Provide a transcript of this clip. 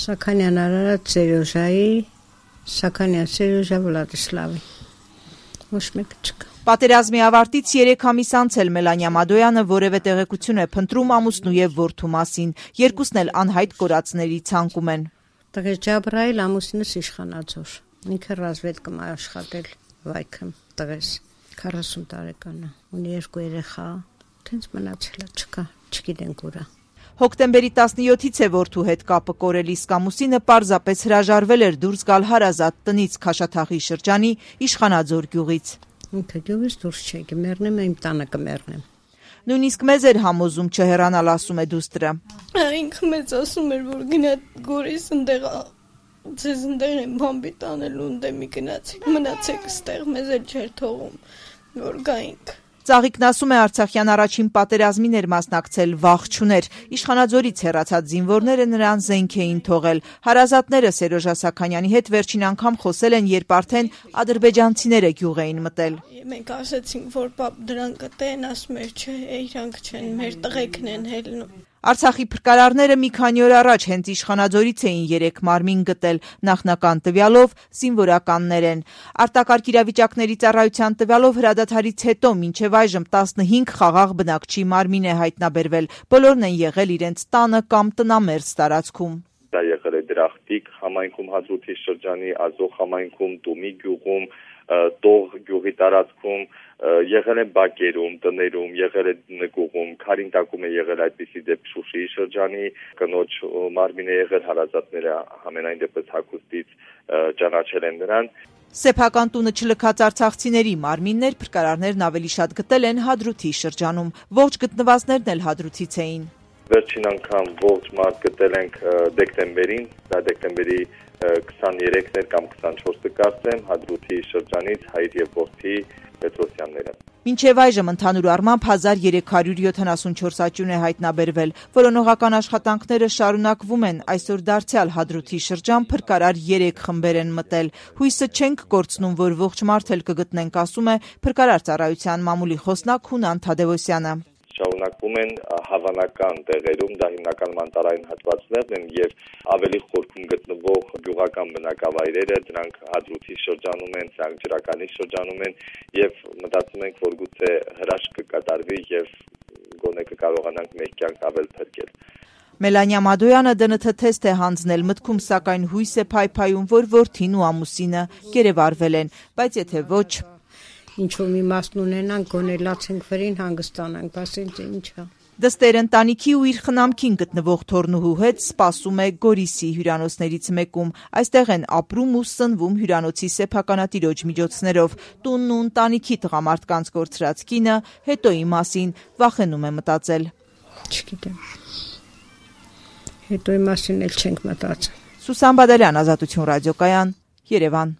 Սաքանյան Արարատ Սերոժայի, Սաքանյան Սերոժա Վլադիսլավի, ոչ մեկ չկա։ Պատերազմի ավարտից 3 ամիս անցել Մելանիա Մադոյանը որևէ տեղեկություն է փնտրում ամուսնու եւ որդու մասին, երկուսն էլ անհայտ կորածների ցանկում են։ Տղես Ջաբրայել ամուսինս իշխանաձոր, ինքը ռազմետկում աշխատել վայքում, տղես 40 տարեկան է, ունի 2 երեխա, տենց մնացել է, չկա, չգիտենք ուրա։ Հոկտեմբերի 17-ից է որդու հետ կապը կորել, իսկ ամուսինը պարզապես հրաժարվել էր դուրս գալ հարազատ տնից Քաշաթաղի շրջանի Իշխանաձոր գյուղից։ Ինքը գյուղից դուրս չէ, կմեռնեմ, իմ տանը կմեռնեմ։ Նույնիսկ մեզ էր համոզում չհեռանալ, ասում է դուստրը։ Ինքը մեզ ասում էր, որ գնա Գորիս ընդեղ ձեզ ընդեղ են բամբի տանելու, ընդեմի գնացեք, մնացեք ստեղ, մեզ էլ չէր թողում, որ գայինք։ Ծաղիկն ասում է Արցախյան առաջին պատերազմին էր մասնակցել, վախ չուներ։ Իշխանաձորից հեռացած զինվորները նրան զենք էին թողել։ Հարազատները Սերոժա Սաքանյանի հետ վերջին անգամ խոսել են, երբ արդեն ադրբեջանցիները գյուղ էին մտել։ Մենք ասացինք, որ պապ դրանք կտեն, ասում էր, չէ, իրանք չեն, մեր տղեկն են հելնում։ Արցախի փրկարարները մի քանի օր առաջ հենց Իշխանաձորից էին 3 մարմին գտել, նախնական տվյալով զինվորականներ են։ Արտակարգ իրավիճակների ծառայության տվյալով հրադադարից հետո մինչև այժմ 15 խաղաղ բնակչի մարմին է հայտնաբերվել, բոլորն են եղել իրենց տանը կամ տնամերձ տարածքում։ Դա եղել է Դրախտիկ համայնքում Հադրութի շրջանի Ազող համայնքում, Տումի գյուղում, Տող գյուղի տարածքում, եղել է բակերում, տներում, եղել է նկուղում, Քարինտակում է եղել այդպիսի դեպք Շուշիի շրջանի, կնոջ մարմին է եղել, հարազատները համենայն դեպս հագուստից ճանաչել են նրան։ Սեփական տունը չլքած արցախցիների մարմիններ փրկարարներն ավելի շատ գտել են Հադրութի շրջանում, ողջ գտնվածներն էլ Հադրութից էին։ Վերջին անգամ ողջ մարդ գտել ենք դեկտեմբերին, դա դեկտեմբերի 23-ն էր կամ 24-ը կարծեմ, Հադրութի շրջանից Հայր եւ որդի Պետրոսյանները։ Մինչև այժմ ընդհանուր առմամբ 1374 աճյուն է հայտնաբերվել, որոնողական աշխատանքները շարունակվում են, այսօր դարձյալ Հադրութի շրջան փրկարար 3 խմբեր են մտել։ Հույսը չենք կորցնում, որ ողջ մարդ էլ կգտնենք, ասում է փրկարար ծառայության մամուլի խոսնակ Հունան Թադևոսյանը։ Շարունակվում են հավանական տեղերում, դա հիմնականում անտառային հատվածներն են եւ ավելի խորքում գտնվող գյուղական բնակավայրերը, դրանք Հադրութի շրջանում են, Սանկջրականի շրջանում են եւ մտածում ենք, որ գուցե հրաշք կկատարվի եւ գոնե կկարողանանք մեր կյանք ավել փրկել։ Մելանիա Մադոյանը ԴՆԹ թեստ է հանձնել մտքում, սակայն հույս է փայփայում, որ որդին ու ամուսինը կերևարվել են, բայց եթե ոչ Ինչ-որ մի մասն ունենանք, գոնե լացենք վրին հանգստանանք, բասենց ինչա։ Դստեր ընտանիքի ու իր խնամքին գտնվող թորնուհու հետ սպասում է Գորիսի հյուրանոցներից մեկում։ Այստեղ են ապրում ու սնվում հյուրանոցի սեփականատիրոջ միջոցներով։ Տունն ու ընտանիքի տղամարդկանց կորցրած կինը հետոյի մասին վախենում է մտածել։ Չգիտեմ։ Հետոյի մասին էլ չենք մտածել։ Սուսան Բադալյան, Ազատություն ռադիոկայան, Երևան։